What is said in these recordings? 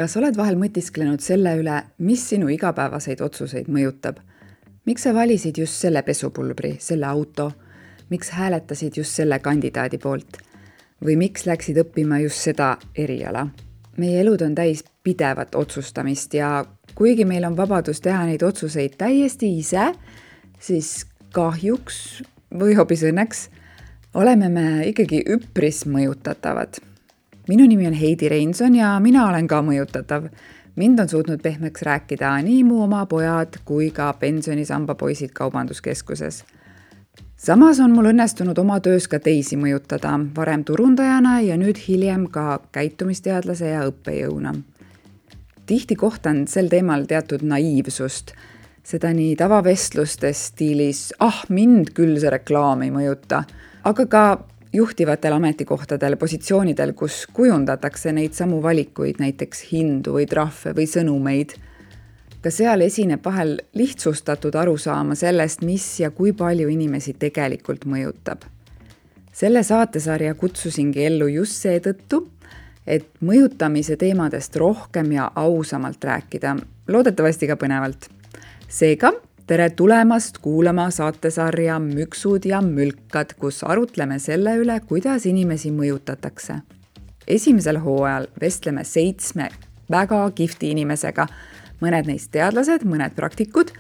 Kas oled vahel mõtisklenud selle üle, mis sinu igapäevaseid otsuseid mõjutab? Miks sa valisid just selle pesupulbri, selle auto? Miks hääletasid just selle kandidaadi poolt? Või miks läksid õppima just seda eriala? Meie elud on täis pidevat otsustamist ja kuigi meil on vabadus teha neid otsuseid täiesti ise, siis kahjuks või hoopis õnneks oleme me ikkagi üpris mõjutatavad. Minu nimi on Heidi Reinson ja mina olen ka mõjutatav. Mind on suutnud pehmeks rääkida nii mu oma pojad kui ka pensionisamba poisid kaubanduskeskuses. Samas on mul õnnestunud oma töös ka teisi mõjutada, varem turundajana ja nüüd hiljem ka käitumisteadlase ja õppejõuna. Tihti kohtan sel teemal teatud naiivsust, seda nii tavavestlustes stiilis, mind küll see reklaam ei mõjuta, aga ka juhtivatel ametikohtadel, positsioonidel, kus kujundatakse neid samu valikuid, näiteks hindu või trahve või sõnumeid. Ka seal esineb vahel lihtsustatud arusaama sellest, mis ja kui palju inimesi tegelikult mõjutab. Selle saatesarja kutsusingi ellu just seetõttu, et mõjutamise teemadest rohkem ja ausamalt rääkida, loodetavasti ka põnevalt. Seega, tere tulemast kuulama saatesarja Müksud ja mülkad, kus arutleme selle üle, kuidas inimesi mõjutatakse. Esimesel hooajal vestleme 7 väga kihvti inimesega, mõned neist teadlased, mõned praktikud,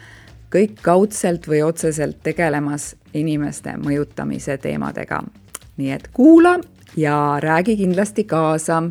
kõik kaudselt või otseselt tegelemas inimeste mõjutamise teemadega. Nii et kuula ja räägi kindlasti kaasa.